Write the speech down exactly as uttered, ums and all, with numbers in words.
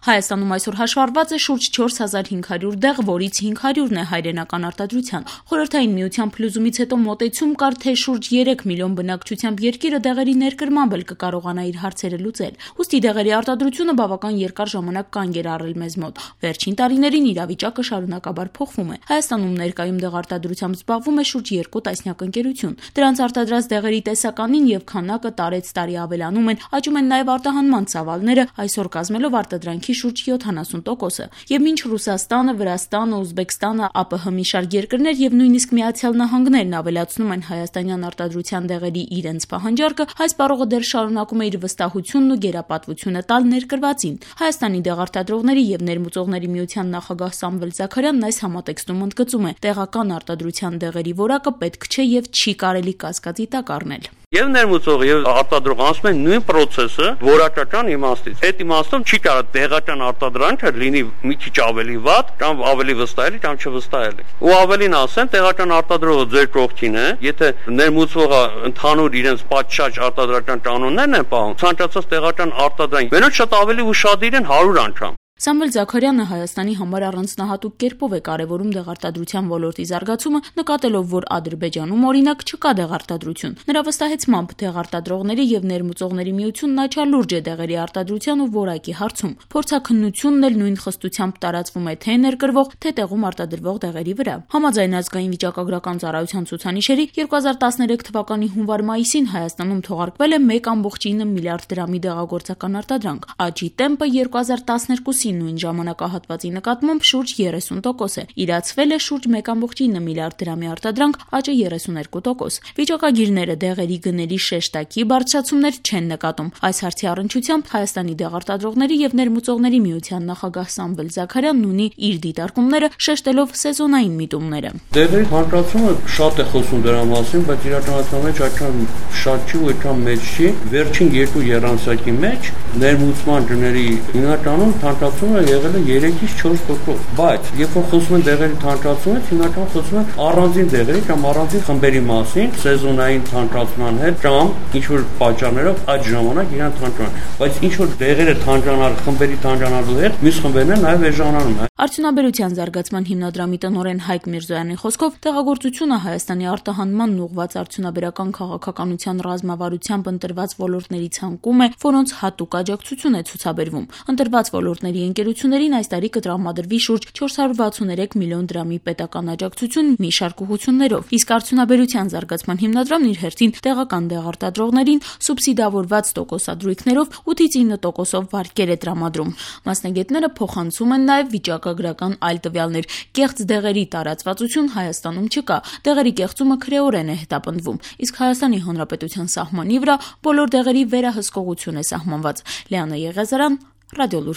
Հայաստանում այսօր հաշվառված է շուրջ չորս հազար հինգ հարյուր դեղ, որից հինգ հարյուրն է հայրենական արտադրության։ Խորհրդային միության փլուզումից հետո մոտեցում կար, թե շուրջ երեք միլիոն բնակչությամբ երկիրը դեղերի ներկրմամբ էլ կկարողանա իր հարցերը լուծել։ Ուստի դեղերի արտադրությունը բավական երկար ժամանակ կանգ էր առել մեզ մոտ։ Վերջին տարիներին իրավիճակը շարունակաբար փոխվում է։ Հայաստանում ներկայում դեղարտադրությամբ զբաղվում է շուրջ երկու տասնյակ ընկերություն։ Դրանց արտադրած դեղերի տեսականին եւ քանակը տարեց տարի ավելանում են, աճում են նաեւ արտահանման ծավալները, այսօր կազմելով արտադրանքի շուրջ յոթանասուն տոկոսը։ Եվ մինչ Ռուսաստանը, Վրաստանը, Ուզբեկստանը, ԱՊՀ մի շարք երկրներ եւ նույնիսկ Միացյալ Նահանգներն ավելացնում են հայաստանյան արտադրության դեղերի իրենց պահանջարկը, հայ սպառողը դեռ շարունակում է իր վստահությունն ու գերապատվությունը տալ ներկրվածին։ Հայաստանի դեղարտադրողների եւ ներմուծողների միության նախագահ Սամվել Զաքարյանն այս համատեքստում ընդգծում է. տեղական արտադրության դեղերի որակը պետք չէ եւ չի կարելի կասկածի տակ առնել։ Եվ ներմուծող եւ արտադրող ասում են նույն process-ը որակական իմաստից։ Այդ իմաստով չի կարող դեղական արտադրանքը լինի մի քիչ ավելի վատ, կամ ավելի վստահելի, կամ չվստահելի։ Ու ավելին ասեն, տեղական արտադրողը ձեր կողքին է, եթե ներմուծողը ընդհանուր իրենց պատշաճ արտադրական կանոններն են պահում, ցանկացած տեղական արտադրանք մենակ շատ ավելի ուշադիր են հարյուր անգամ։ Սամվել Զաքարյանը Հայաստանի համար առանձնահատուկ կերպով է կարևորում դեղարտադրության ոլորտի զարգացումը, նկատելով, որ Ադրբեջանում օրինակ չկա դեղարտադրություն։ Նրա վստահեցմամբ դեղարտադրողների եւ ներմուծողների միությունն աչալուրջ է դեղերի արտադրության ու որակի հարցում։ Փորձաքննությունն էլ նույն խստությամբ տարածվում է թե ներկրվող, թե տեղում արտադրվող դեղերի վրա։ Համաձայն ազգային վիճակագրական ծառայության ցուցանիշերի երկու հազար տասներեք թվականի հունվար-մայիսին Հայաստանում թողարկվել է մեկ կόμկոմ ինը միլիարդ դրամի դեղագործական արտադրանք։ Աճի տեմպը երկու հազար տասներկուսի նույն ժամանակահատվածի նկատմամբ շուրջ երեսուն տոկոս է։ Իրացվել է շուրջ մեկ կόμկոմ ինը միլիարդ դրամի արտադրանք, աճը երեսուներկու տոկոս։ Վիճակագիրները դեղերի գների շեշտակի բարձրացումներ չեն նկատում։ Այս հարցի առնչությամբ Հայաստանի դեղարտադրողների եւ ներմուծողների միության նախագահ Սամվել Զաքարյանն ունի իր դիտարկումները, շեշտելով սեզոնային միտումները։ Դեղերի հանրացումը շատ է խոսում դրա մասին, բայց իրականության մեջ այդքան շատ չի ու այդքան մեծ չի։ Վերջին երկու եռանցակի մեջ ներմուծման գների հիմնականում թանկացումը եղել է երեքից չորս տոկոս, բայց երբ որ խոսում են դեղերի թանկացումից, հիմնականում խոսում են առանձին դեղերի կամ առանձին խմբերի մասին, սեզոնային թանկացման հետ կամ ինչ որ պատճառներով այդ ժամանակ իրան թանկանում, բայց ինչ որ դեղերը թանկանալ, խմբերի թանկանալու հետ, մյուս խմբերն են նաև էժանանում են։ Արդյունաբերության զարգացման հիմնադրամի տնօրեն Հայկ Միրզոյանի խոսքով դեղագործությունը Հայաստանի արտահանման ուղղված արդյունաբերական քաղաքականության ռազմավարությամբ ընտրված ոլորտների ցանկում է, որոնց հատուկ աջակցություն է ցուցաբերվում։ Ընտրված ոլորտների ընկերություններին այս տարի կտրամադրվի շուրջ չորս հարյուր վաթսուներեք միլիոն դրամի պետական աջակցություն մի շարք ուղղություններով, իսկ արդյունաբերության զարգացման հիմնադրամն իր հերթին տեղական դեղարտադրողներին սուբսիդավորված տոկոսադրույքներով ութից ինը տոկոսով վարկեր է տրամադրում։ Մասնագետները փոխանցում են նաև վիճակագրական այլ տվյալներ։ Կեղծ դեղերի տարածվածություն Հայաստանում չկա։ Դեղերի կեղծումը քրեորեն է հետապնդվում, իսկ Հայաստանի Հանրապետության սահմանի վրա բոլոր դեղերի վերահսկողություն է սահմանված։ Լիանա Եղիազարյան, Ռադիոլուր։